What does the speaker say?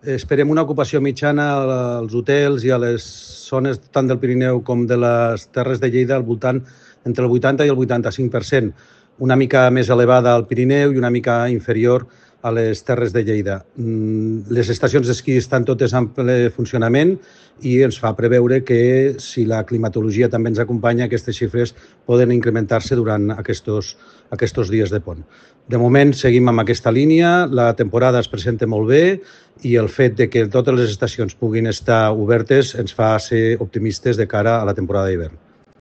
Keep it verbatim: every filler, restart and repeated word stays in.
Esperem una ocupació mitjana als hotels i a les zones tant del Pirineu com de les Terres de Lleida al voltant entre el vuitanta i el vuitanta-cinc per cent, una mica més elevada al Pirineu i una mica inferior a les Terres de Lleida. Les estacions d'esquí estan totes en ple funcionament i ens fa preveure que, si la climatologia també ens acompanya, aquestes xifres poden incrementar-se durant aquests, aquests dies de pont. De moment seguim amb aquesta línia, la temporada es presenta molt bé i el fet de que totes les estacions puguin estar obertes ens fa ser optimistes de cara a la temporada d'hivern.